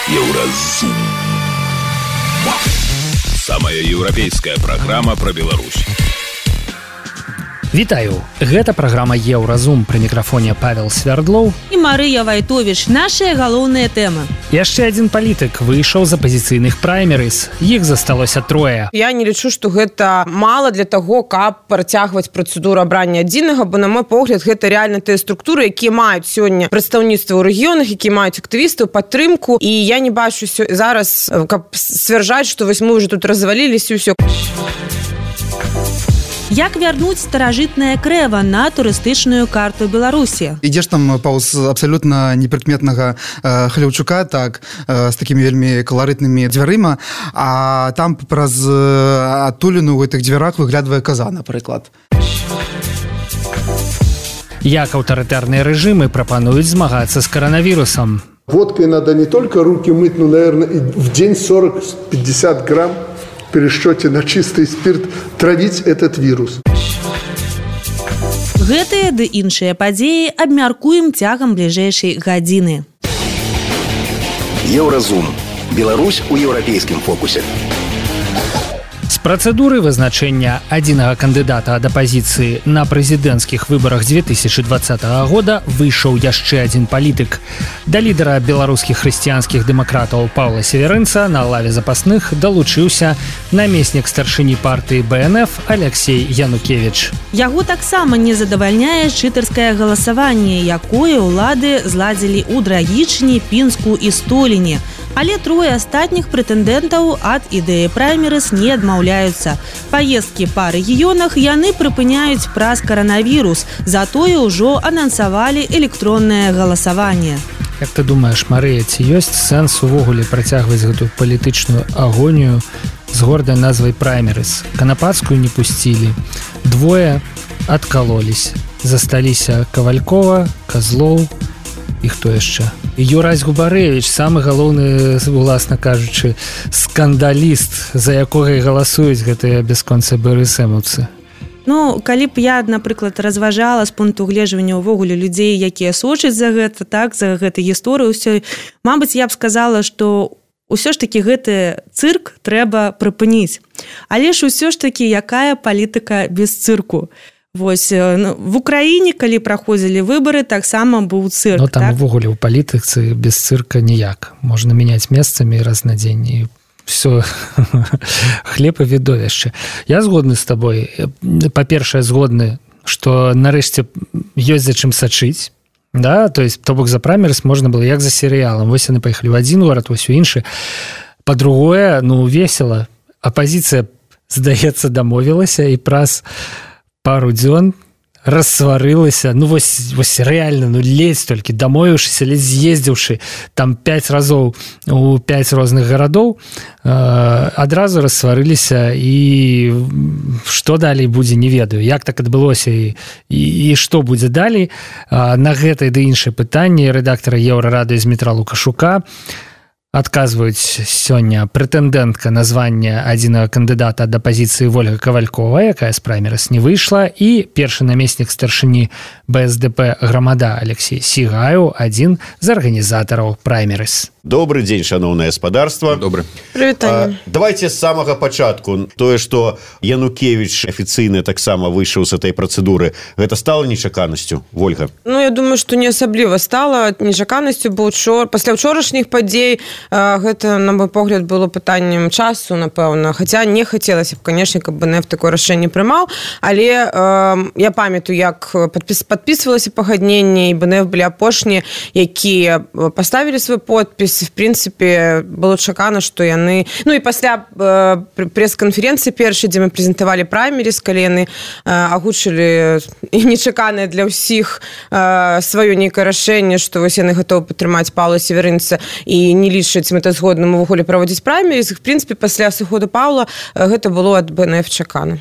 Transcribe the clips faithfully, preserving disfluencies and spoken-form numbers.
Еўразум. Самая еўрапейская праграма пра Беларусь. Вітаю, гэта праграма Еўразум, пры мікрафоне Павел Свярдлоў і Марыя Вайтовіч. Нашыя галоўныя тэмы. Яшчэ адзін палітык выйшаў з апазіцыйных праймерыз. Іх засталося трое. Я не лічу, што гэта мала для таго, каб працягваць працэдуру абрання адзінага, бо на мой погляд гэта рэальна тыя структуры, якія маюць сёння прадстаўніцтва ў рэгіёнах, якія маюць актывістаў, падтрымку, і я не бачу зараз, каб сцвярджаць, што вось мы ўжо тут разваліліся і ўсё. Як вярнуць старажытнае крэва на турыстычную карту Беларусі? Ідзеш там паўз абсалютна непрыкметнага э, Хляўчука, так, э, з такімі вельмі каларытнымі дзвярыма, а там праз э, адтуліну ў гэтых дзвярах выглядвае каза, напрыклад. Як аўтарытарныя рэжымы прапануюць змагацца з коронавірусам? Водкой надо не только руки мыть, но, наверное, в день сорок-пятьдесят грамм в пересчете на чистый спирт травить этот вирус. Гэтыя ды іншыя падзеі абмяркуем цягам бліжэйшай гадзіны. Еўразум. Беларусь у еўрапейскім фокусе. З працэдуры вызначэння адзінага кандыдата ад апазіцыі на прэзідэнцкіх выбарах дзве тысячы двадцатага года выйшаў яшчэ адзін палітык. Да лідара беларускіх хрысціянскіх дэмакратаў Паўла Северынца на лаве запасных далучыўся намеснік старшыні партыі Бэ Эн Эф Алексей Янукевіч. Яго таксама не задавальняе чытарскае галасаванне, якое ўлады зладзілі ў Драгічні, Пінску і Століне. Але трое астатніх прэтэндэнтаў ад ідэі праймерыз не адмаўляюцца. Паездкі па рэгіёнах яны прыпыняюць праз каранавірус, затое ўжо анансавалі электроннае галасаванне. Як ты думаеш, Марыя, ці ёсць сэнс увогуле працягваць гэтую палітычную агонію з гордай назвай праймерыз? Канапацкую не пусцілі, двое адкалоліся. Засталіся Кавалькова, Казлоў і хто яшчэ? Юрась Губарэвіч, самы галоўны, уласна кажучы, скандаліст, за якога і галасуюць гэтыя бясконцы БРСМаўцы. Ну, калі б я, напрыклад, разважала з пункту гледжвання ўвогуле людзей, якія сочаць за гэта, так, за гэтай гісторыю ўсё, мабыць, я б сказала, што ўсё ж такі гэты цырк трэба прыпыніць. Але ж усё ж такі, якая палітыка без цырку? Вось, ну, в Украіне, калі праходзілі выбары, таксама быў цырк. Ну, там так? Увогуле ў палітыцы без цырка ніяк. Можна мяняць месцамі раз на дзень і все, хлеб і відовішча. Я згодны з табой. Па-першае, згодны, што нарэшце ёсць за чым сачыць. Да? То есть, то бок за праймерыз можна было як за серыялам. Вось яны паехалі ў адзін горад, вось у іншы. Па-другое, ну, весела. Апазіцыя, здаецца, дамовілася і праз пару дзён рассварылася, ну вось, вось рэальна, ну ледзь толькі дамовіўшыся, ледзь з'ездзіўшы там пяць разоў у пяць розных гарадоў, э, адразу рассварыліся, і што далей будзе, не ведаю. Як так адбылося і, і, і што будзе далей? Э, на гэтае ды іншае пытанне рэдактара Еўрарадыё Змітра Лукашука адказваюць сёння прэтэндэнтка на званне адзінага кандыдата ад апазіцыі Вольга Кавалькова, якая з праймерыз не выйшла, і першы намеснік старшыні Бэ Эс Дэ Пэ Грамада Алексей Сігаю, адзін з арганізатараў праймерыз. Добрый дзень, шаноўнае гаспадарства. Добрый. Прывітанне. Давайте з самага пачатку. Тое, што Янукевіч афіцыйна таксама выйшаў з этой працэдуры, гэта стала нечаканасцю, Вольга? Ну, я думаю, што не асабліва стала нечаканасцю, бо ўчор... пасля ўчорашніх падзей гэта, на мой погляд, было пытаннем часу, напэўна. Хаця не хацелася б, канешне, каб Бэ Эн Эф такое рашэнне прымаў, але э, я памятаю, як падпіс... падпісвалася пагадненне, і Бэ Эн Эф былі апошнія, якія паставілі свой подпіс. В принципе, было чакана, што яны... Ну, і пасля э, прэс-канферэнцыі першай, дзе мы прэзентавалі праймеріз, калі яны э, агучылі нечаканае для ўсіх э, сваё нейкае рашэнне, што вось яны гатовы падтрымаць Паўла Северынца і не лічаць мэтазгодным увогуле праводзіць праймеріз. В принципе, пасля сыходу Паўла э, гэта было ад Бэ Эн Эф чакана.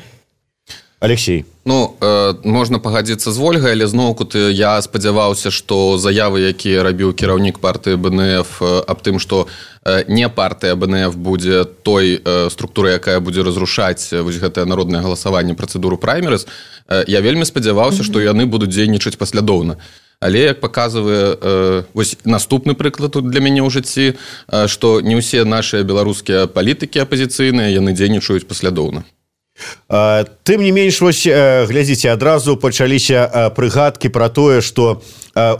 Алексей. Ну, э, можна пагадзіцца з Вольгай, але зноўку ты, я спадзяваўся, што заявы, якія рабіў кіраўнік партыі Бэ Эн Эф э, аб тым, што э, не партыя Бэ Эн Эф будзе той э, структурай, якая будзе разрушаць э, вось гэтае народнае галасаванне, працэдуру праймерыз, э, я вельмі спадзяваўся, mm-hmm. што яны будуць дзейнічаць паслядоўна. Але як паказвае э, вось наступны прыклад тут для мяне ў жыцці, э, што не ўсе нашыя беларускія палітыкі апазіцыйныя, яны дзейнічаюць паслядоўна. Тым не менш, вось, глядзіце, адразу пачаліся прыгадкі пра тое, што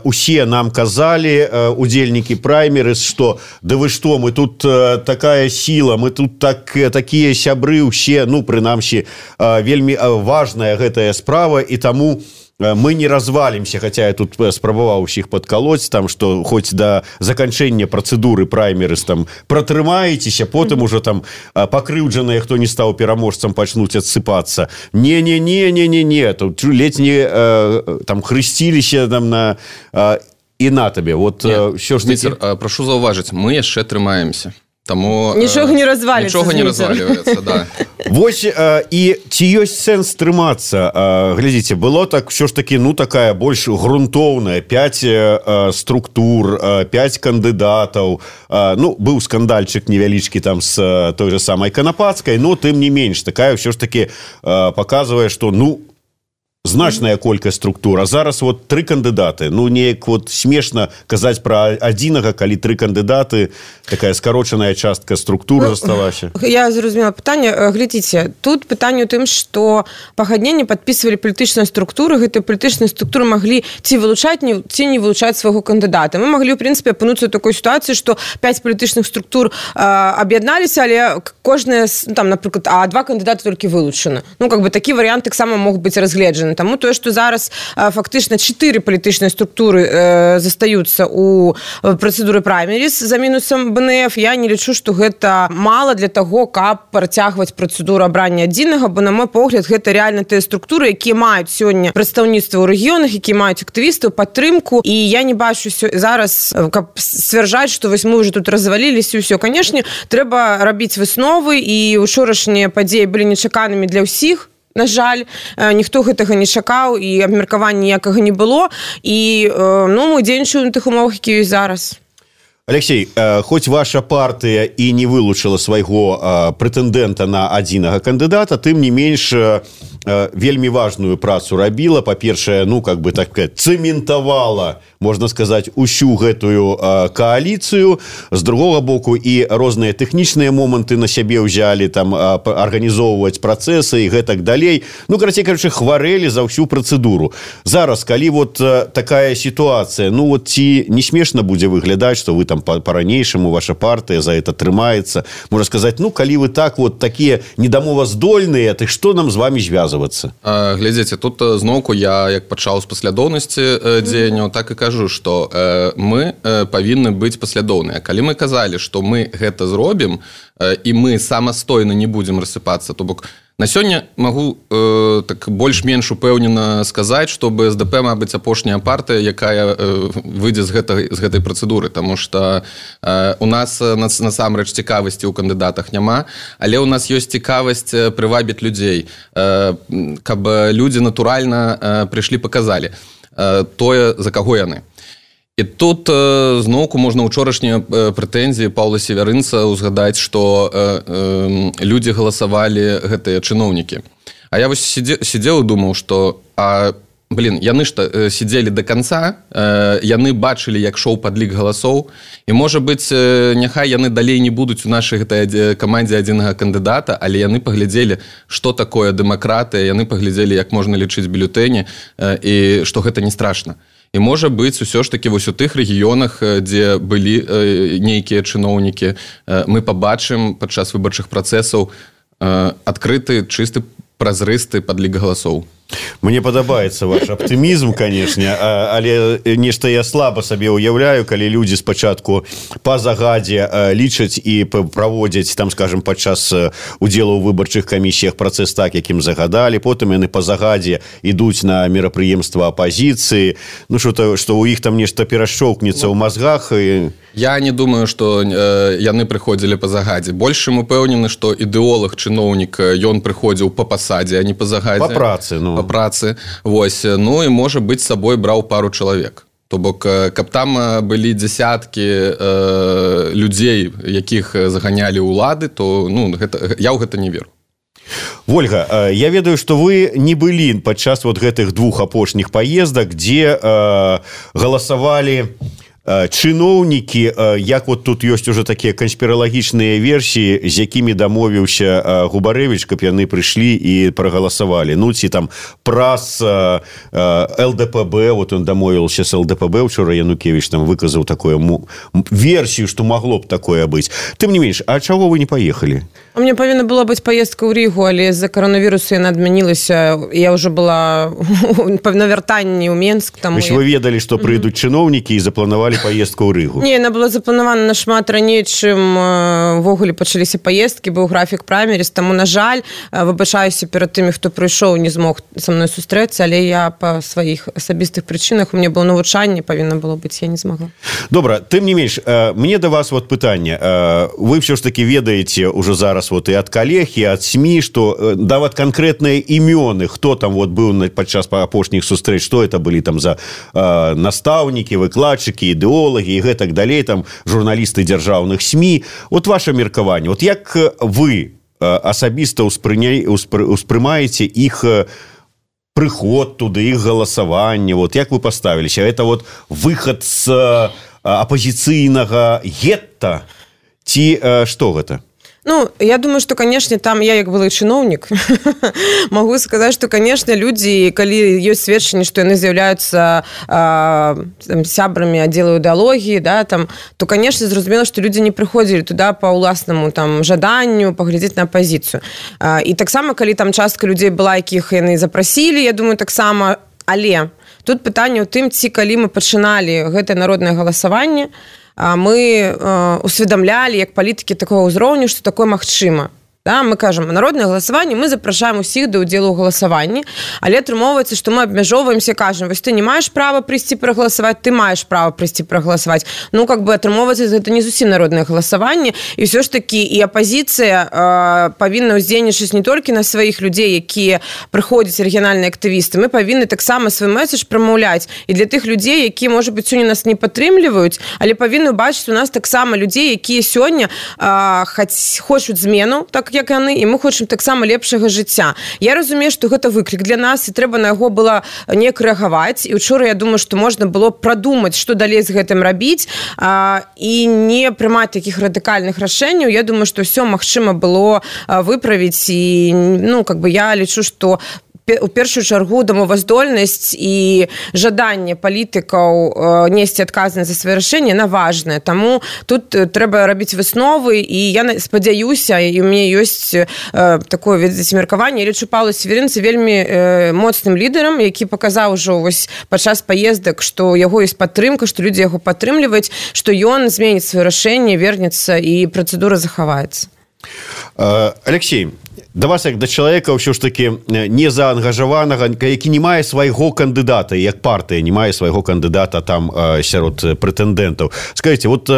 усе нам казалі, удзельнікі праймерыз, што да вы што, мы тут такая сіла, мы тут так, такія сябры ўсе, ну, прынамсі, вельмі важная гэтая справа, і таму мы не развалимся, хотя я тут спрабаваў усіх подколоть, там, что хоть до заканчэння процедуры праймерыз там протрымаецеся, потым уже там покрыўджаныя, хто не стаў пераможцам, пачнуць адсыпацца. Не-не-не-не-не-не, тут ледзь не э, там хрысціліся там на э, і на табе. Вот ўсё ж таки... Прашу заўважыць, мы яшчэ трымаемся. Таму нічога не разваліцца. Нічога не разваливаецца, да. Вось, і ці ёсць сэнс трымацца? Глядзіце, было так, ўсё ж таки, ну, такая больш грунтоўная, пяць структур, пяць кандыдатаў. Ну, быў скандальчык невялічкі там з той же самай Канапацкай, но тым не менш, такая ўсё ж таки паказвае, што, ну, значная колькасць структура. Зараз вот тры кандыдаты. Ну, неяк вот смешна казаць пра адзінага, калі тры кандыдаты, такая скарочаная частка структуры ну, засталася. Я зразумела пытанне. Глядзіце, тут пытанне ў тым, што пагадненне падпісвалі палітычныя структуры, гэтыя палітычныя структуры маглі ці вылучаць, ці не вылучаць свайго кандыдата. Мы маглі, ў прынцыпе, апынуцца ў такой сітуацыі, што пяць палітычных структур аб'ядналіся, але кожная, там, напрыклад, а два кандыдаты толькі вылучаны. Ну, как бы такі варыянт таксама мог быць разгледжаны. Таму тое, што зараз фактычна чатыры палітычныя структуры э, застаюцца ў працэдуры праймеріз за мінусам бэ эн эф, я не лічу, што гэта мала для таго, каб працягваць працэдуру абрання адзінага, бо, на мой погляд, гэта рэальна тыя структуры, якія маюць сёння прадстаўніцтва ў рэгіёнах, якія маюць актывістаў, падтрымку, і я не бачу зараз, каб сцвярджаць, што вось мы ўжо тут разваліліся, і ўсё. Канешне, трэба рабіць высновы, і учорашнія падзеі былі нечаканымі для ўсіх. На жаль, ніхто гэтага не чакаў, і абмеркавання ніякага не было, і ну, мы дзейнічаем на тых умовах, якія ёсць зараз. Алексей, хоць ваша партыя і не вылучыла свайго прэтэндэнта на адзінага кандыдата, тым не менш вельмі важную працу рабіла. Па-першае, ну, как бы так цэментавала, можна сказаць, усю гэтую кааліцыю. З другога боку, і розныя тэхнічныя моманты на сябе ўзялі, там, арганізоўваць працэсы і гэтак далей. Ну, карацей кажучы, хварэлі за ўсю працэдуру. Зараз, калі вот такая сітуацыя, ну, вот ці не смешна будзе выглядаць, што вы там по-ранейшаму, ваша партыя за это трымаецца. Можна сказаць, ну, калі вы так вот такія недамоваздольныя, то што нам з вами звязвацца? Глядзіце, тут зноўку я, як пачаў з паслядоўнасці дзеянняў, так і кажу, што мы павінны быць паслядоўныя. Калі мы казалі, што мы гэта зробім, і мы самастойна не будзем рассыпацца, то бок на сёння магу э, так больш-менш упэўнена сказаць, што бэ эс дэ пэ, мабыць, апошняя партыя, якая э, выйдзе з гэтай, з гэтай працэдуры, таму што э, у нас насамрэч цікавасці ў кандыдатах няма, але ў нас ёсць цікавасць прывабіць людзей, э, каб людзі натуральна э, прыйшлі, паказалі э, тое, за каго яны. І тут э, зноўку можна ўчорашнія э, прэтэнзіі Паўла Севярынца ўзгадаць, што э, э, людзі галасавалі гэтыя чыноўнікі. А я вось сидзе, сидзеў і думаў, што а, блин, яны ж э, сидзелі да канца, э, яны бачылі, як шоў падлік галасоў, і, можа быць, э, няхай яны далей не будуць у нашай гэтай камандзе адзінага кандыдата, але яны паглядзелі, што такое дэмакратыя, яны паглядзелі, як можна лічыць бюлетэні, э, і што гэта не страшна. І, можа быць, усё ж такі вось у тых рэгіёнах, дзе былі э, нейкія чыноўнікі, э, мы пабачым падчас выбарчых працэсаў э, адкрыты, чысты, празрысты падлік галасоў. Мне падабаецца ваш аптымізм, канешне, але нешта я слаба сабе ўяўляю, калі людзі спачатку па загадзе лічаць і праводзяць, там, скажем, падчас удзелу ў выбарчых камісіях працэс так, якім загадалі, потым яны па загадзе ідуць на мерапрыемства апазіцыі, ну, што ў іх там нешта перашчоўкнецца ў мазгах. І... Я не думаю, што э, яны прыходзілі па загадзе. Больш чым упэўнены, што ідэолаг, чыноўнік, ён прыходзіў па пасадзе, а не па загадзе. Па працы, ну. Па працы. Вось. Ну і, можа быць, з сабой браў пару чалавек. То бок, каб там былі дзясяткі э, людзей, якіх заганялі ўлады, то ну, гэта, я ў гэта не веру. Вольга, я ведаю, што вы не былі падчас вот гэтых двух апошніх паездак, дзе э, галасавалі чыноўнікі, як вот тут ёсць уже такія канспіралагічныя версіі, з якімі дамовіўся Губарэвіч, каб яны прыйшлі і прагаласавалі. Ну, ці там праз эл дэ пэ бэ, вот он дамовіўся з эл дэ пэ бэ, учора Янукевіч там выказаў такую версію, што магло б такое быць. Тым не менш, а чаго вы не паехалі? У меня павінна была быць паездка ў Рігу, але з-за каронавірусу яна адмянілася. Я ўжо была на вяртанні ў Менск. Таму вы ведалі, што прыйдуць чыноўнікі і запланавалі поездку ў Рыгу? Не, яна была запланавана нашмат раней, чым ввогуле пачаліся паездкі, быў графік праймеріс, таму, на жаль, выбачаюся перад тымі, хто прыйшоў, не змог са мной сустрэцца, але я па сваіх асабістых прычынах, у мяне было навучанне, павінна было быць, я не змагла. Добра, тым не менш, мне да вас вот пытанне. Вы ўсё ж таки ведаеце ўжо зараз вот і ад калег, і ад СМІ, што даваць канкрэтныя імёны, хто там вот быў падчас апошніх сустрэч, што это былі там за настаўнікі, выкладчыкі, ідэолагі і гэтак далей, там журналісты дзяржаўных СМІ. Вот ваше меркаванне, вот як вы асабіста ўспрымаеце іх прыход туды, іх галасаванне, вот як вы паставіліся? Это вот выхад з апазіцыйнага гетта ці што гэта? Ну, я думаю, что, конечно, там я, як былы чыноўнік, могу сказать, что, конечно, люди, калі ёсць сведчанне, что яны з'яўляюцца э, сябрамі аддзелу ідэалогіі, да, там, то, конечно, зразумела, что люди не прыходзілі туда по ўласнаму там жаданню паглядзець на апазіцыю. Э, і таксама, калі там частка людзей была, якіх яны запрасілі, я думаю, таксама, але тут пытанне ў тым, ці калі мы пачыналі гэтае народнае галасаванне, мы усведамлялі як палітыкі такого ўзроўню, што такое магчыма. Да, мы кажам, народнае галасаванне, мы запрашаем усіх да ўдзелу ў галасаванні, але атрымоўваецца, што мы абмяжоўваемся, кажам, вось ты не маеш права прыйсці прагаласаваць, ты маеш права прыйсці прагаласаваць. Ну, как бы атрымоўваецца, гэта не зусім народнае галасаванне, і ўсё ж такі і апазіцыя э, павінна ўздзейнічаць не толькі на сваіх людзей, якія прыходзяць рэгіянальныя актывісты, мы павінны таксама свой месседж прамаўляць і для тых людзей, якія, можа быць, сёння нас не падтрымліваюць, але павінны бачыць у нас таксама людзей, якія сёння э, хочуць змену, так як яны, і мы хочам таксама лепшага жыцця. Я разумею, што гэта выклік для нас, і трэба на яго было неяк рэагаваць, і учора я думаю, што можна было прадумаць, што далей з гэтым рабіць, а, і не прымаць такіх радыкальных рашэнняў. Я думаю, што ўсё магчыма было выправіць, і, ну, как бы я лічу, што у першую чаргу дамоваздольнасць і жаданне палітыкаў несці адказнасць за свае рашэнні, яна важная. Таму тут трэба рабіць высновы, і я спадзяюся, і у мяне ёсць э, такое меркаванне. Я лічу Паўла Северынца вельмі э, моцным лідарам, які паказаў ужо вось падчас паездак, што яго ёсць падтрымка, што людзі яго падтрымліваюць, што ён зменіць сваё рашэнне, вернецца і працэдура захаваецца. Алексей, да вас як да чалавека ўсё ж таки не заангажаванага, які не мае свайго кандыдата, як партыя не мае свайго кандыдата там сярод прэтэндэнтаў. Скажыце, вот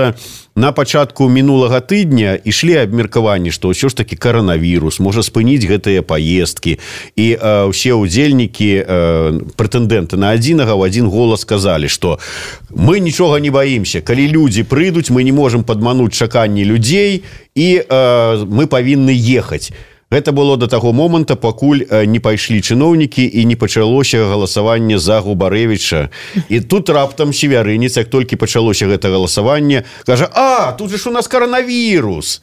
на пачатку мінулага тыдня ішлі абмеркаванні, што ўсё ж таки каранавірус можа спыніць гэтыя паездкі, і ўсе ўдзельнікі прэтэндэнты на адзінага ў адзін голас сказалі, што мы нічога не баімся, калі людзі прыйдуць, мы не можам падмануць чаканні людзей, і мы павінны ехаць. Гэта было до таго моманта, пакуль не пайшлі чыноўнікі і не пачалося галасаванне за Губарэвіча. І тут раптам Севярынец, як толькі пачалося гэта галасаванне, кажа: а, тут же ж у нас каранавірус.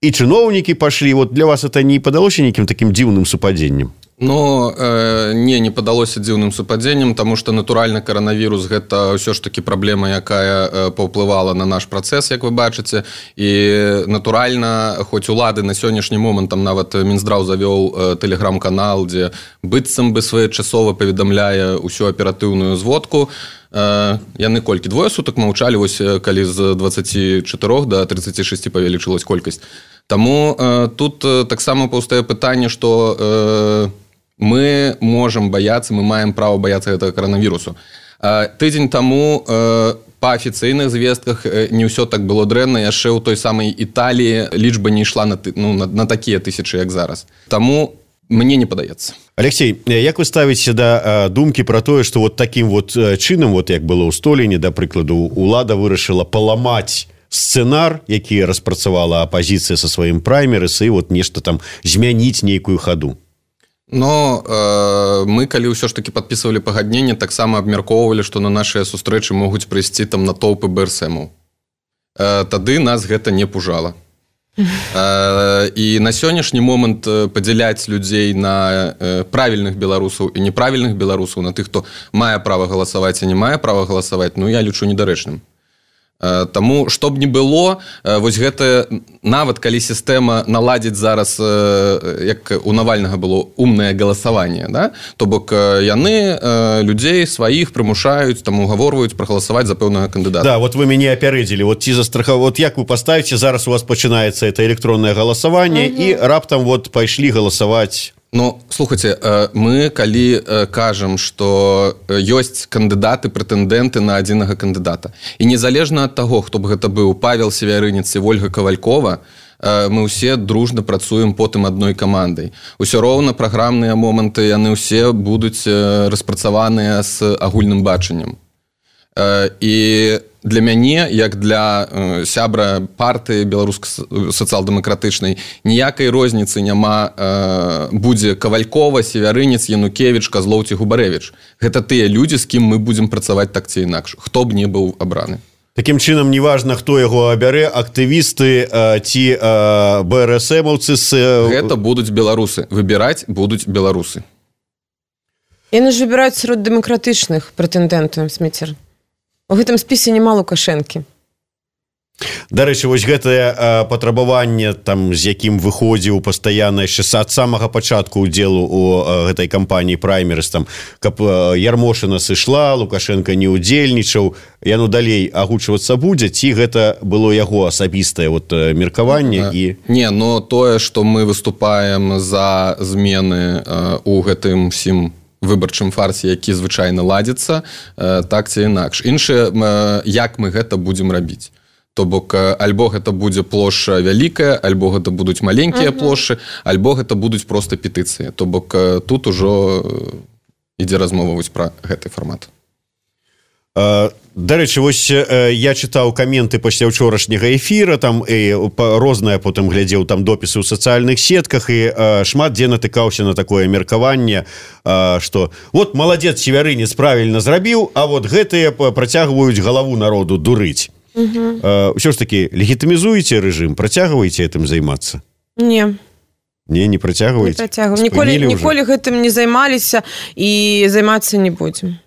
І чыноўнікі пашлі. Вот для вас это не падалося нейкім такім дзіўным супадзеннем? Ну, э, не, не падалося дзіўным супадзеннем, таму што, натуральна, каранавірус – гэта ўсё ж такі праблема, якая э, паўплывала на наш працэс, як вы бачыце. І, натуральна, хоць улады на сённяшні момант, там нават Мінздраў завёў э, тэлеграм-канал, дзе быццам бы своечасова паведамляе ўсю аператыўную зводку, э, яны колькі? Двое сутак маўчалі, вось калі з дваццаці чатырох да трыццаці шасці павялічылась колькасць. Таму э, тут э, таксама паўстае пытанне, што э, мы можам баяцца, мы маем права баяцца гэтага каранавірусу. Тыдзень таму па афіцыйных звестках не ўсё так было дрэнна, яшчэ ў той самай Італіі лічба не ішла на, ну, на, на такія тысячы, як зараз. Таму мне не падаецца. Алексей, як вы ставіце да думкі пра тое, што вот такім вот чынам, вот як было ў Століне, да прыкладу, улада вырашыла паламаць сцэнар, які распрацавала апазіцыя са сваім праймерыс, і вот нешта там змяніць нейкую хаду. Но э, мы, калі ўсё ж таки подписывали пагадненне, таксама абмяркоўвалі, што на нашыя сустрэчы могуць прыйсці там натоўпы бэ эс эмаў. Э, тады нас гэта не пужала. Э, і на сённяшні момант падзяляць людзей на э, правільных беларусаў і неправільных беларусаў, на тых, хто мае права галасаваць і не мае права галасаваць, ну я лічу недарэчным. Таму, што б не было, вось гэта, нават калі сістэма наладзіць зараз, як у Навальнага было, умнае галасаванне, да? То бок яны людзей сваіх прымушаюць, там угаворваюць прагаласаваць за пэўнага кандыдата. Да, вот вы мяне апярэдзілі, вот ці застрахав... вот як вы паставіце, зараз у вас пачынаецца это электроннае галасаванне, угу. І раптам вот пайшлі галасаваць. Ну, слухайте, мы, калі кажам, што ёсць кандыдаты, прэтэндэнты на адзінага кандыдата, і незалежна ад таго, хто б гэта быў Павел Севярынец і Вольга Кавалькова, мы ўсе дружна працуем потым адной камандай. Усё роўна праграмныя моманты, яны ўсе будуць распрацаваныя з агульным бачаннем. І для мяне, як для э, сябра партыі беларуска-сацыял-дэмакратычнай, ніякай розніцы няма, э, будзе Кавалькова, Севярынец, Янукевіч, Казлоў ці Губарэвіч. Гэта тыя людзі, з кім мы будзем працаваць так ці інакш, хто б не быў абраны. Такім чынам, неважна, хто яго абярэ, актывісты э, ці э, бэ эр эс эмаўцы... С... Гэта будуць беларусы. Выбіраць будуць беларусы. Яны ж выбіраюць сярод дэмакратычных прэтэндэнтаў, Сміцер. У гэтым спісе няма Лукашэнкі. Дарэчы, вось гэтае э, патрабаванне, там, з якім выходзіў пастаянна яшчэ ад самага пачатку ўдзелу у э, гэтай кампаніі праймерыс, там, каб э, Ярмошына сышла, Лукашенко не ўдзельнічаў, яно далей агучвацца будзе, ці гэта было яго асабістае вот, э, меркаванне? І... Не, но тое, што мы выступаем за змены э, у гэтым всім выбарчым фарсе, які звычайна ладзіцца, так ці інакш. Іншае, як мы гэта будзем рабіць. То бок, альбо гэта будзе плошча вялікая, альбо гэта будуць маленькія uh-huh. плошчы, альбо гэта будуць проста петыцыі. То бок, тут ужо ідзе размова вось пра гэты фармат. Дарэчы, вось я чытаў каменты пасля ўчорашняга эфіра, там і рознае потым глядзеў там допісы ў сацыяльных сетках, і шмат дзе натыкаўся на такое меркаванне, што вот маладзец Севярынец правільна зрабіў, а вот гэтыя працягваюць галаву народу дурыць. Угу. Ўсё ж такі, легітымізуеце рэжым, працягваеце гэтым займацца? Не. Не, не працягваеце? Не працягваем. Ніколі, ніколі гэтым не займаліся і займацца не будзем.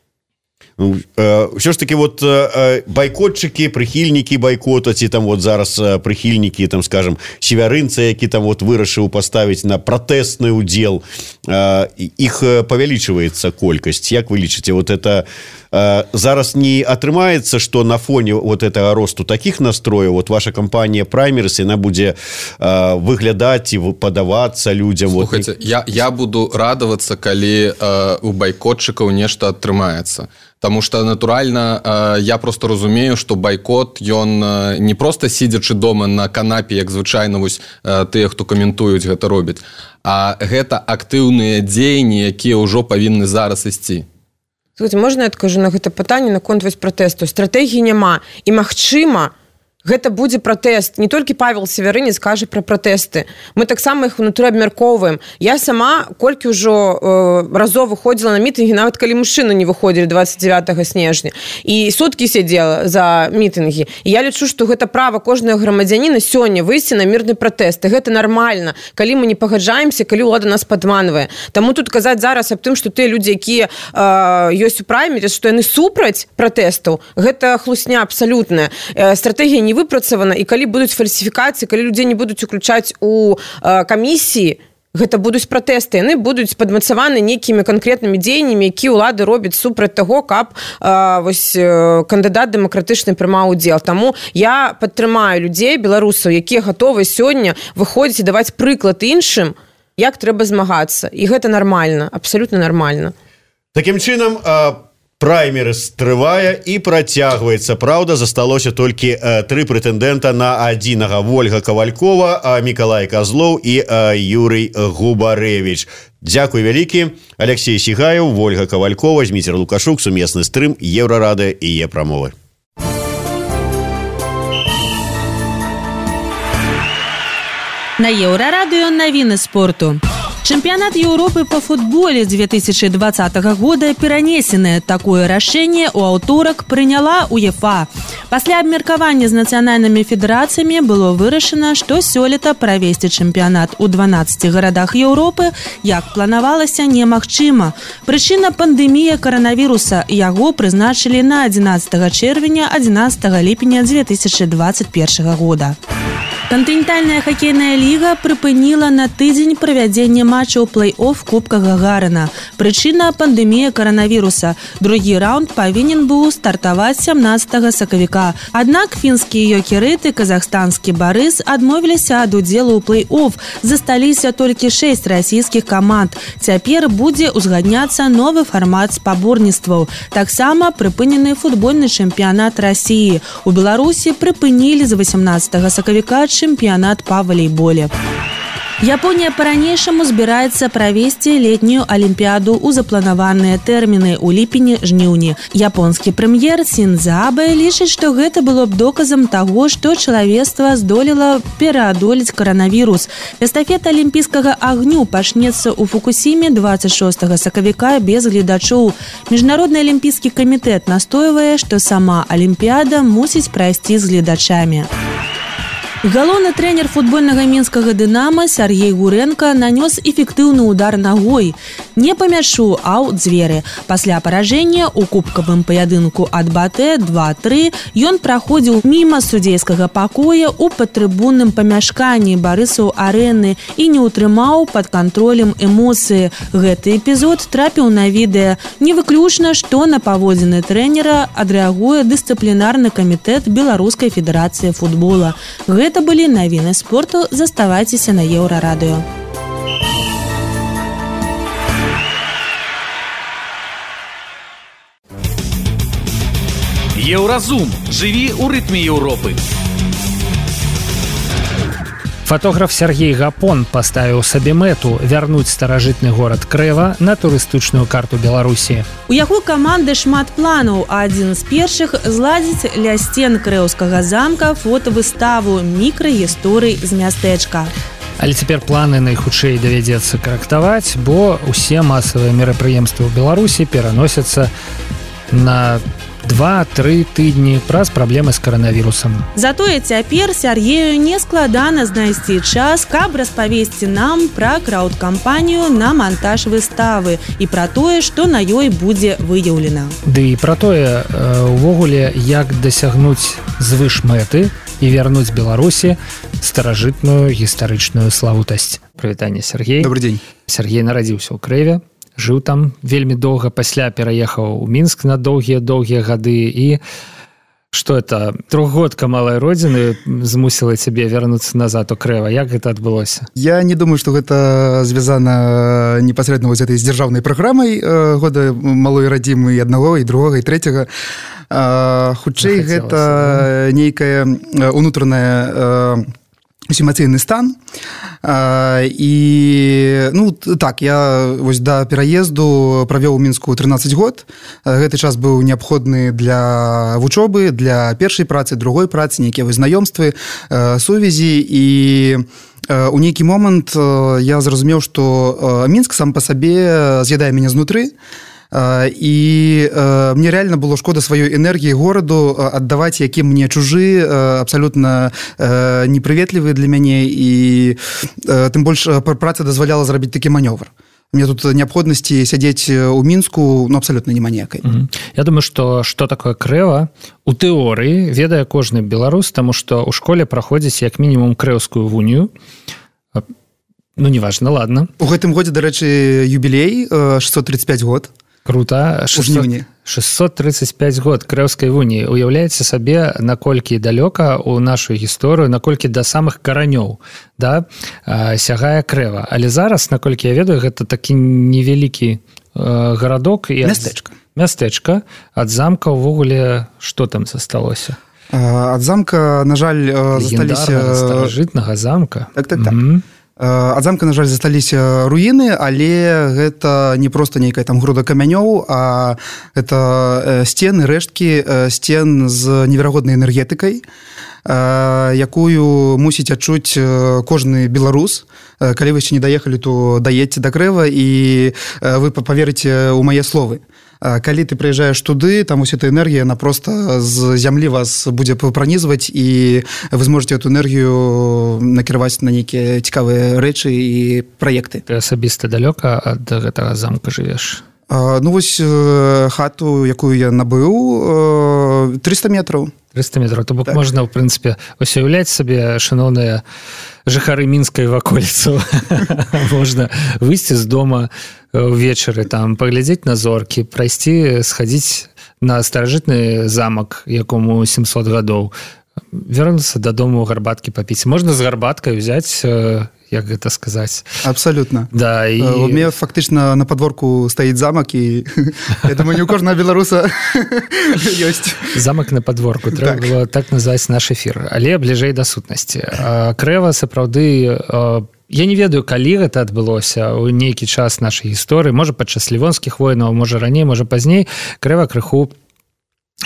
Ну, э, ўсё ж таки вот э, байкотчыкі, прыхільнікі байкота, ці там вот зараз э, прыхільнікі, там, скажем, Севярынца, які там вот вырашыў паставіць на пратэсны ўдзел, э, іх павялічваецца колькасць. Як вы лічыце, вот это э, зараз не атрымаецца, што на фоне вот этого росту таких настрояў, вот ваша кампанія праймерыс, яна будзе э, выглядаць і падавацца людзям? Слухайте, вот... я, я буду радавацца, калі э, у байкотчыкаў нешта атрымаецца. Таму што, натуральна, я просто разумею, што байкот, ён не проста сидзячы дома на канапе, як звычайна вось тыя, хто каментуюць, гэта робяць, а гэта актыўныя дзеянні, якія ўжо павінны зараз ісці. Слухайте, можна я адкажу на гэта пытанне наконт вось пратэсту? Стратэгіі няма, і магчыма, гэта будзе пратэст. Не толькі Павел Севярынец кажа пра пратэсты. Мы таксама іх унутры абмяркоўваем. Я сама колькі ўжо э, разоў выходзіла на мітынгі, нават калі мужчыны не выходзілі двадцать девятого снежня. І суткі сядзела за мітынгі. І я лічу, што гэта права кожнага грамадзяніна сёння выйсці на мірны пратэст. І гэта нармальна, калі мы не пагаджаемся, калі ўлада нас падманвае. Таму тут казаць зараз аб тым, што тыя людзі, якія э, ёсць у праймеры, што яны супраць пратэстаў, гэта хлусня абсалютная. Э, стратэгія не выпрацавана, і калі будуць фальсіфікацыі, калі людзей не будуць уключаць у э, камісіі, гэта будуць пратэсты, яны будуць падмацаваны нейкімі канкрэтнымі дзеяннямі, які ўлады робяць супраць таго, каб э, вось, э, кандыдат дэмакратычны прымаў удзел. Таму я падтрымаю людзей, беларусаў, якія гатовы сёння выходзіць і даваць прыклад іншым, як трэба змагацца. І гэта нармальна, абсалютна нармальна. Такім чынам, э... праймерыс трывае і працягваецца. Праўда, засталося толькі э, тры прэтэндэнта на адзінага: Вольга Кавалькова, э, Мікалай Казлоў і э, Юрый Губарэвіч. Дзякуй вялікі. Алексей Сігаяў, Вольга Кавалькова, Зміцер Лукашук, сумесны стрым, Еўрарада і Е-прамовы. На Еўрарадыё навіны спорту. Чэмпіянат Еўропы по футболе две тысячи двадцатого года перанесены. Такое рашэнне ў аўторак прыняла УЕФА. Пасля абмеркавання з нацыянальнымі федэрацыямі было вырашана, што сёлета правесці чэмпіянат у дванаццаці гарадах Еўропы, як планавалася, немагчыма. Прычына пандэмія каранавіруса. Яго прызначылі на адзінаццатага чэрвеня адзінаццатага ліпеня две тысячи двадцать первого года. Кантынентальная хакейная ліга прыпыніла на тыдзень правядзенне матчаў плэй-офф Кубка Гагарына. Прычына пандэмія каранавіруса. Другі раунд павінен быў стартаваць сямнаццатага сакавіка. Аднак фінскія ёкерыты, казахстанскі Барыс адмовіліся ад удзелу ў плэй-офф. Засталіся толькі шэсць расійскіх каманд. Цяпер будзе ўзгадняцца новы фармат спаборніцтваў. Таксама прыпынены футбольны чэмпіянат Расіі. У Беларусі прыпынілі з васямнаццатага сакавіка чэмпіянат па валейболе. Японія па-ранейшаму збіраецца правесці летнюю алімпіяду ў запланаваныя тэрміны ў ліпені-жніўні. Японскі прэм'ер Синдзо Абэ лічыць, што гэта было б доказам таго, што чалавецтва здолела пераадолець каранавірус. Эстафета алімпійскага агню пачнецца ў Фукусіме двадцать шостага сакавіка без гледачоў. Міжнародны алімпійскі камітэт настойвае, што сама алімпіяда мусіць прайсці з гледачамі. Галоўны трэнер футбольнага мінскага «Дынама» Сергей Гуренко нанёс эфектыўны удар нагой. Не па мячу, а ў дзверы. Пасля паражэння ў кубкавым паядынку ад БАТЭ два тры ён праходзіў міма судзейскага пакоя ў падтрыбунным памяшканні Барысаў арэны і не ўтрымаў пад кантролем эмоцыі. Гэты эпізод трапіў на відэа. Не выключна, што на паводзіны трэнера адрэагуе дысцыплінарны камітэт Беларускай федэрацыі футбола. Гэта былі навіны спорту. Заставайцеся на Еўрарадыё. Еўразум. Жыві ў рытме Еўропы. Фотограф Сергей Гапон паставіў сабе мэту вярнуць старажытны горад Крэва на турыстычную карту Беларусі. У яго каманды шмат планаў, а адзін з першых зладзіць ля сцен крэўскага замка фотавыставу мікрагісторый з мястэчка. Але цяпер планы найхутчэй давядзецца карэктаваць, бо ўсе масавыя мерапрыемствы ў Беларусі пераносяцца на два-тры тыдні праз праблемы з каранавірусам. Затое цяпер Сергею не складана знайсці час, каб распавесці нам пра краўд-кампанію на мантаж выставы і пра тое, што на ёй будзе выяўлена. Ды і пра тое, увогуле, як дасягнуць звыш мэты і вярнуць Беларусі старажытную гістарычную славутасць. Прывітанне, Сергей. Добрый дзень. Сергей нарадзіўся ў Крэве. Жыў там вельмі доўга, пасля пераехаў у Мінск на доўгія-доўгія гады. І што это, трохгодка малай родзіны змусіла цябе вярнуцца назад у Крэва? Як гэта адбылося? Я не думаю, што гэта звязана непасрэдна з этой дзяржаўнай праграмай года малой радзімы і аднаго, і другога, і трэцяга. Хутчэй, гэта нейкая унутраная эмоцыйны стан. І ну так, я вось да пераезду правёў у Мінску трынаццаць год. Гэты час быў неабходны для вучобы, для першай працы, другой працы, нейкія знаёмствы, сувязі. І у нейкі момант я зразумеў, што Мінск сам па сабе з'ядае мяне знутры. І э, мне реально было шкода сваёй энергіі гораду аддаваць, які мне чужы, абсалютна э, непрыветлівы для мяне, і э, тым больш праца дазваляла зрабіць такі манёвр. Мне тут неабходнасці сядзець у Мінску ну, абсалютна няма ніякай. Mm-hmm. Я думаю, што што такое Крэва у тэорыі ведае кожны беларус, таму што ў школе праходзіць як мінімум крэўскую вунію. Ну, неважна, ладно. У гэтым годзе, дарэчы, юбілей, шестьсот тридцать пять год. Круто. шестьсот тридцать пять год крэўскай вуніі. Уяўляеце сабе, наколькі далёка ў нашу гісторыю, наколькі да самых каранёў, да, сягае Крэва. Але зараз, наколькі я ведаю, гэта такі невялікі э, гарадок і мястэчка. Мястэчка. Ад замка ўвогуле што там засталося? Ад замка, на жаль, засталіся старажытнага замка. Так, так, так. Mm-hmm. Ад замка, на жаль, засталіся руіны, але гэта не проста нейкая там груда камянёў, а гэта сцены, рэшткі сцен з неверагоднай энергетыкай. якую мусіць адчуць кожны беларус. Калі вы яшчэ не даехалі, то даедце да Крэва, і вы паверыце ў мае словы. Калі ты прыязджаеш туды, там уся эта энергія, она просто з зямлі вас будзе пранізваць, і вы зможаце эту энергію накіраваць на нейкія цікавыя рэчы і праекты. Ты асабіста далёка ад гэтага замка жывеш? Ну вось хату, якую я набыў, триста метраў. триста метраў, то бок так. Можна, в прынцыпе, ось уяўляць сабе, шаноўныя жыхары Мінскай ваколіцу. Можна выйсці з дома увечары, там паглядзець на зоркі, прайсці, схадзіць на старажытны замак, якому сямсот гадоў, вернуцца дадому гарбаткі папіць. Можна з гарбаткай узяць, як гэта сказаць. Абсолютно. Да, і... У мяне фактычна на падворку стаіць замак, і я думаю, не у кожнага беларуса ёсць. Замак на падворку. Трэба так. Было так назваць наш эфір. Але бліжэй да сутнасці. Крэва сапраўды... Я не ведаю, калі гэта адбылося ў нейкі час нашай гісторыі. Можа, падчас лівонскіх войнаў, можа, раней, можа, пазней. Крэва крыху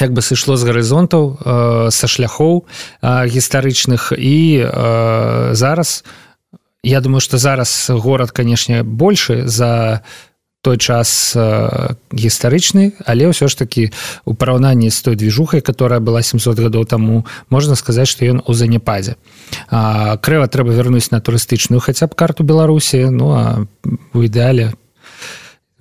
як бы сышло з гарызонтаў, са шляхоў гістарычных, і зараз... Я думаю, што зараз горад, канешне, большы за той час э, гістарычны, але ўсё ж такі у параўнанні з той движухай, которая была сямсот гадоў таму, можна сказаць, што ён у заняпадзе. А, Крэва трэба вярнуць на турыстычную хаця б карту Беларусі, ну а у ідэале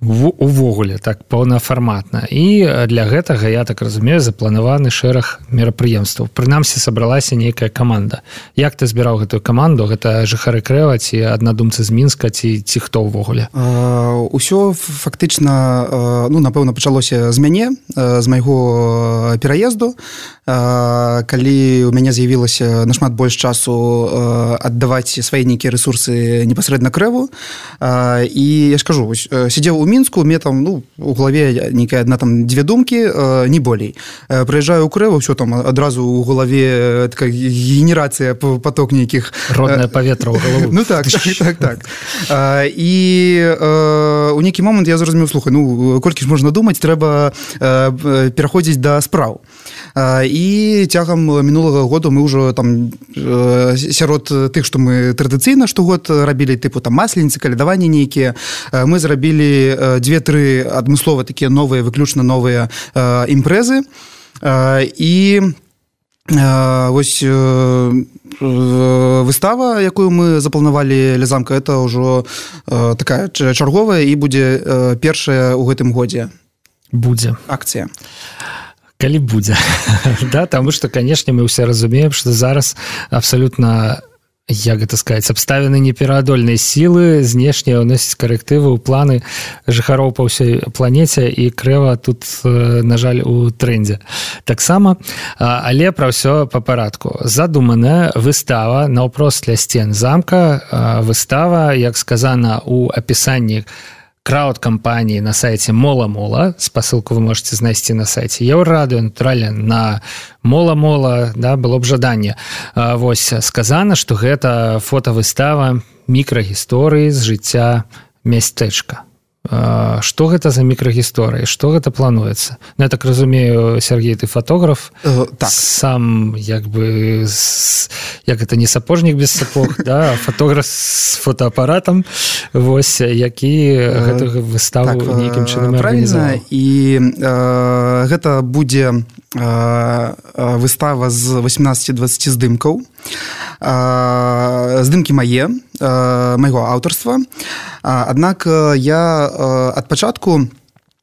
увогуле так паўнафарматна. І для гэтага, я так разумею, запланаваны шэраг мерапрыемстваў. Прынамсі сабралася нейкая каманда. Як ты збіраў гэтую каманду? Гэта жыхары Крэва ці аднадумцы з Мінска, ці ці хто ўвогуле? Усё фактычна, ну, напэўна, пачалося з мяне, з майго пераезду. Калі у мяне з'явілася нашмат больш часу аддаваць свае нейкія рэсурсы непасрэдна Крэву. І я ж кажу, сидзеў у Мінску, мне там, ну, у галаве нейкая адна там дзве думкі, не болей. Прыязджаю ў Крэву, ўсё там адразу ў галаве такая генерацыя, поток нейкіх... Роднае паветра ў галаву. Ну так, так, так, так. І у нейкі момант я зразумеў, слухай, ну, колькі ж можна думаць, трэба пераходзіць да спраў. І цягам мінулага году мы ўжо там сярод тых, што мы традыцыйна штогод рабілі, тыпу там масленіцы, калядаванні нейкія, мы зрабілі дзве-тры адмыслова такія новыя, выключна новыя э, імпрэзы. Э, і э, вось э, выстава, якую мы запланавалі ля замка, это ўжо э, такая чарговая і будзе э, першая ў гэтым годзе. Будзе. Акцыя. Калі будзе. Да, таму што, канешне, мы ўсе разумеем, што зараз абсалютна, як гэта сказаць, абставіны непераадольнай сілы, знешне ўносіць карэктывы ў планы жыхароў па ўсёй планеце, і Крэва тут, на жаль, у трэндзе. Таксама, але пра ўсё па парадку. Задуманая выстава наўпрост ля сцен замка, выстава, як сказана ў апісанні крауд-кампаніі на сайце Мола-Мола, спасылку вы можете знайсці на сайце Еўрарадыё, натуральна, на Мола-Мола, да, было б жаданне. Вось, сказана, што гэта фотавыстава мікрагісторыі з жыцця мястэчка. Што гэта за мікрагісторыі? Што гэта плануецца? Ну, я так разумею, Сергей, ты фотограф, uh, так. Сам, як бы, як это не сапожнік без сапог, да, фотограф з фотоапаратам, вось, які uh, гэтую выставу так, нейкім чынам арганізаваў. І uh, гэта будзе uh, выстава з васемнаццаці-дваццаці здымкаў. Uh, здымкі мае, uh, майго аўтарства. Uh, аднак я ад пачатку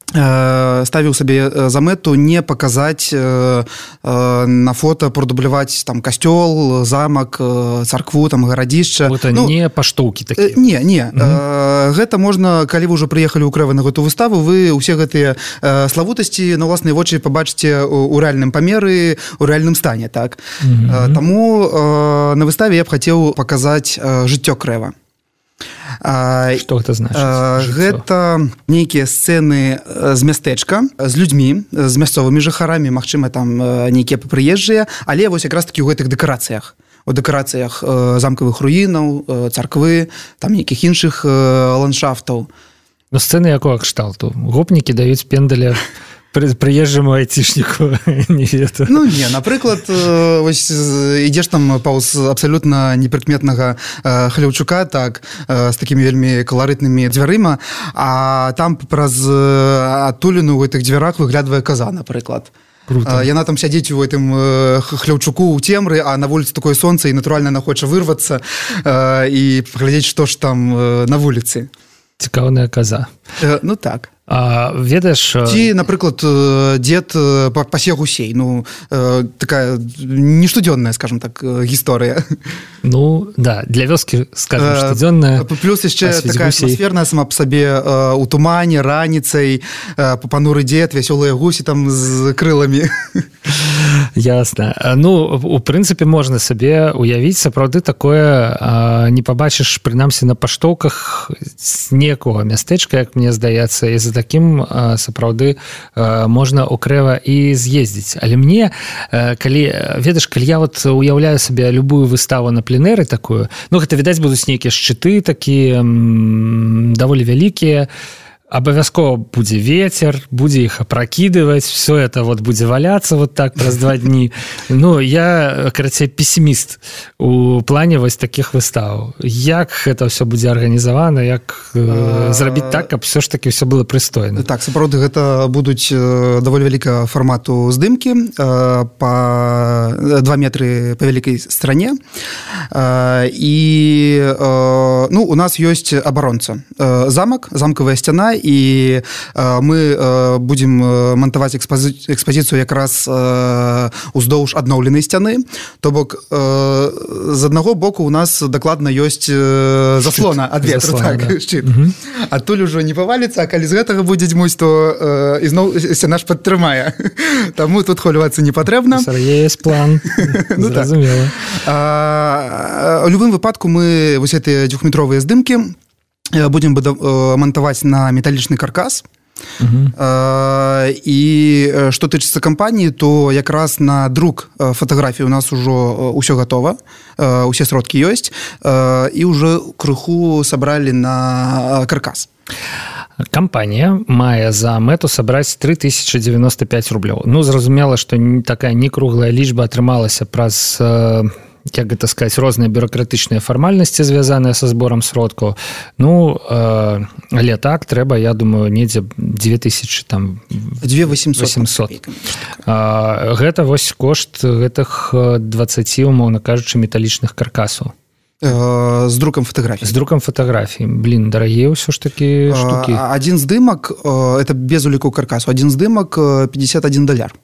ставіў сабе за мэту не паказаць на фота, прадубляваць там касцёл, замак, царкву, там гарадзішча. Это ну, не паштоўкі такія. Не, не. Угу. Гэта можна, калі вы ўжо прыехалі ў Крэва на гэту выставу, вы ўсе гэтыя славутасці на ўласныя вочы пабачыце ў рэальным памеры, у рэальным стане, так. Угу. Таму на выставе я б хацеў паказаць жыццё Крэва. Што гэта значыць? Гэта нейкія сцэны з мястэчка, з людзьмі, з мясцовымі жыхарамі, магчыма, там нейкія прыезджыя, але вось якраз такі ў гэтых дэкарацыях. У дэкарацыях замкавых руінаў, царквы, там нейкіх іншых ландшафтаў. Ну, сцэны якога кшталту? Гопнікі даюць пендаля прыезджаму айцішніку не ведаю. Ну не, напрыклад, вось ідзеш там паўз абсалютна непрыкметнага Хляўчука, так, з такімі вельмі каларытнымі дзвярыма, а там праз адтуліну ў гэтых дзвярах выглядвае каза, напрыклад. Круто. Яна там сядзіць у гэтым Хляўчуку ў цемры, а на вуліцы такое сонца, і натуральна яна хоча вырвацца і паглядзець, што ж там на вуліцы. Цікаўная каза. Ну так. А, ведаеш... Ці, напрыклад, дзед пасе гусей. Ну, такая нештодзённая, скажем так, гісторыя. Ну, да, для вёскі, скажем, штодзённая. Плюс яшчэ такая гусей. Атмасферная сама па сабе у тумане, раніцай, пануры дзед, вясёлыя гусі там з крыламі. Ясна. Ну, у прынцыпе, можна сабе уявіць, сапраўды такое не пабачыш, прынамсі, на паштоўках з некага мястэчка, як мне здаецца, і за таким сапраўды можна укрэва і з'ездзіць. Але мне, калі, ведаеш, калі я вот уяўляю сабе любую выставу на пленэры такую, ну, гэта, відаць, будуць нейкія шчыты такія даволі вялікія, абавязкова будзе ветер, будзе іх апракідываць, все это вот будзе валяцца вот так праз два дні. Ну, я, карацей, пессіміст у плане вось такіх выстаў. Як гэта ўсё будзе арганізавана, як э, зрабіць так, каб все ж таки все было прыстойна. Так, сапраўды, гэта будуць даволі вялікага фармату здымкі э, па два метры па вялікай стране. Э, і э, ну, у нас ёсць абаронца. Э, замак, замкавая сцяна, і э, мы э, будем монтаваць экспози... экспазіцыю якраз э, уздоўж адноўленай сцяны. То бок э, з аднаго боку у нас дакладна ёсць э, заслона ад ветру, так, да. Шчыт. Угу. Адтуль ужо не паваліцца, а калі з гэтага будзе дзьмуць, то э, ізноў сцяна ж падтрымае. Таму тут хвалювацца не патрэбна. Есть план. Ну, зразумела. Так. У любым выпадку мы вось гэтыя двухметровыя здымкі будем монтаваць на металлічны каркас. Uh-huh. І што тычыцца кампаніі, то якраз на друк фатаграфій у нас ужо ўсё гатова, усе сродкі ёсць, і ўжо крыху сабралі на каркас. Кампанія мае за мэту сабраць тры тысячы дзевяносто пяць рублёў. Ну, зразумела, што такая некруглая лічба атрымалася праз... як гэта сказаць, розныя бюрократычныя фармальнасці, звязаныя са зборам сродкаў. Ну, э, але так, трэба, я думаю, недзе дзве тысячы, там... дзве тысячы восемьсот. А, гэта вось кошт гэтых дваццаці, умоўна кажучы, металічных каркасаў. З друкам фатаграфій. З друкам фатаграфій. Блін, дарагія ўсё ж такі штукі. Адзін здымак, это без уліку каркасу, адзін здымак пятьдесят один даляр.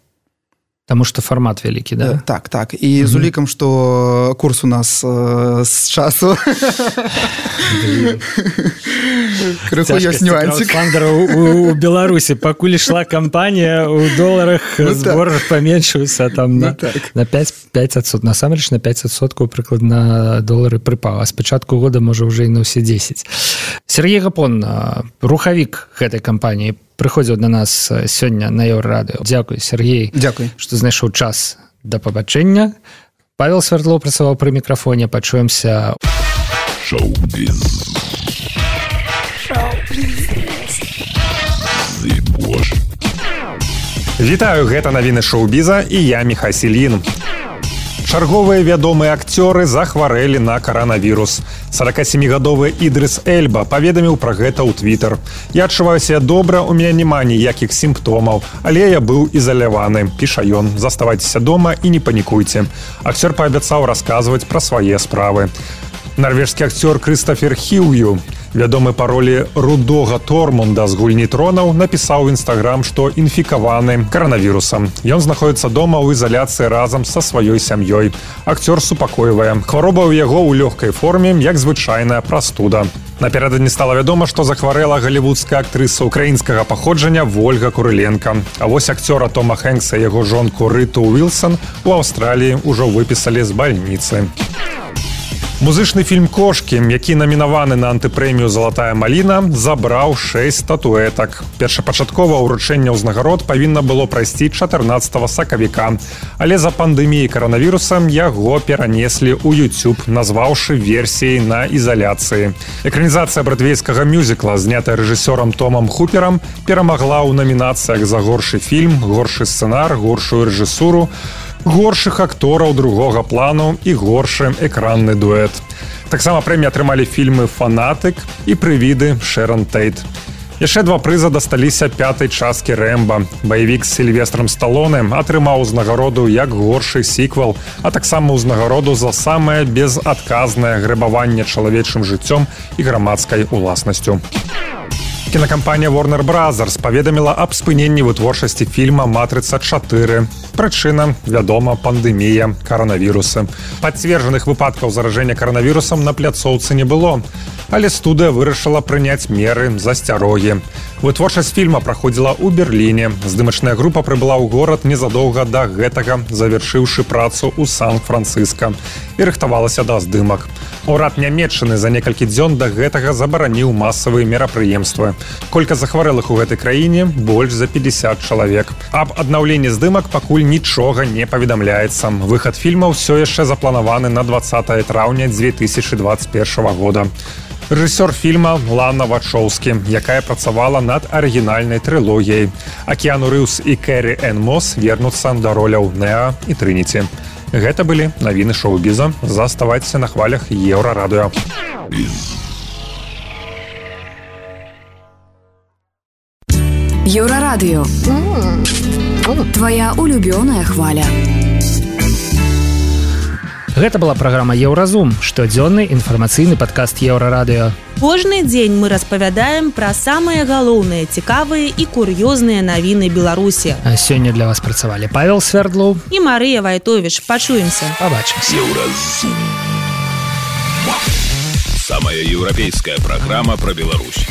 Таму што фармат вялікі, да? Так, так. І угу. З улікам, што курс у нас э, з часу крыху ёсць нюансік. У, у Беларусі пакуль ішла кампанія, у доларах ну, збор так. паменшыўся там на, ну, так. на пять адсоткаў. Насамрэч на пять адсоткаў прыкладна долары прыпаў, а з пачатку года можа ўжо і на ўсе дзесяць. Сергей Гапон, рухавік гэтай кампаніі, прыходзіў да нас сёння на Еўрарадыё. Дзякуй, Сергей. Дзякуй. Што знайшоў час да пабачэння. Павел Свярдлоў працаваў пры мікрафоне. Пачуемся. Шоу-біз. Вітаю, гэта навіны шоу-біза і я Міхась Ільін. Чарговыя вядомыя акцёры захварэлі на каранавірус. сорокасемігадовы Ідрыс Эльба паведаміў пра гэта ў Твіттер. Я адчуваю себя добра, у меня няма ніякіх сімптомаў, але я быў ізаляваны, піша ён. Заставайцеся дома і не панікуйце. Акцёр паабяцаў расказваць пра свае справы. Нарвежскі акцёр Крыстафер Хіўю, вядомы па ролі рудога Тормунда з гульні тронаў, напісаў у Інстаграм, што інфікаваны каранавірусам. Ён знаходіцца дома ў ізаляцыі разам са сваёй сям'ёй. Акцёр супакойвае. Хвароба ў яго ў лёгкай форме, як звычайная прастуда. Напярэдадні стала вядома, што захварэла галівудская актрыса украінскага паходжання Вольга Курыленка. А вось акцёра Тома Хэнкса і яго жонку Рыту Уілсон у Аўстраліі ўжо выпісалі з бальніцы. Музычны фільм «Кошкі», які намінаваны на антыпрэмію «Залатая маліна», забраў шэсць статуэтак. Першапачаткова ўручэнне ўзнагарод павінна было прайсці чатырнаццатага сакавіка. Але за пандэміяй каранавіруса яго перанеслі ў YouTube, назваўшы версіяй на ізаляцыі. Экранізацыя брадвейскага мюзікла, знятая рэжысёрам Томам Хуперам, перамагла ў намінацыях за горшы фільм, горшы сцэнар, горшую рэжысуру, горшых актораў другога плану і горшы экранны дуэт. Таксама прэміі атрымалі фільмы «Фанатык» і «Прывіды» Шэрон Тэйт. Яшчэ два прыза дасталіся пятай часткі «Рэмба». Баевік з Сільвестрам Сталоне атрымаў узнагароду як горшы сіквел, а таксама узнагароду за самае безадказнае грэбаванне чалавечым жыццём і грамадскай уласнасцю. Кінакампанія Warner Brothers паведаміла аб спыненні вытворчасці фільма «Матрыца чатыры». Прычына, вядома, пандэмія каранавіруса. Пацверджаных выпадкаў заражэння каранавірусам на пляцоўцы не было, але студыя вырашыла прыняць меры засцярогі. Вытворчасць фільма праходзіла ў Берліне. Здымачная група прыбыла ў горад незадоўга да гэтага, завяршыўшы працу ў Сан-Францыска і рыхтавалася да здымак. Урад Нямецчыны за некалькі дзён да гэтага забараніў масавыя мерапрыемствы. Колькасць захварэлых у гэтай краіне больш за пятьдесят чалавек. Аб аднаўленні здымак пакуль нічога не паведамляецца. Выхад фільма ўсё яшчэ запланаваны на двадцатае траўня дзве тысячы двадцать первого года. Рэжысёр фільма Лана Вачоўскі, якая працавала над арыгінальнай трылогіяй. А Кіану Рыўс і Кэрі Энн Мос вернуцца да роляў Неа і Трыніці. Гэта былі навіны шоу-біза. Заставайцеся на хвалях Еўрарадыё. Еўрарадыё. Твоя улюбёная хваля. Гэта была праграма «Еўразум», штодзённы інфармацыйны падкаст Еўрарадыё. Кожны дзень мы распавядаем пра самыя галоўныя, цікавыя і кур'ёзныя навіны Беларусі. А сёння для вас працавалі Павел Свердлоў і Марыя Вайтовіч. Пачуемся. Пабачымся. Еўразум. Самая еўрапейская праграма пра Беларусь.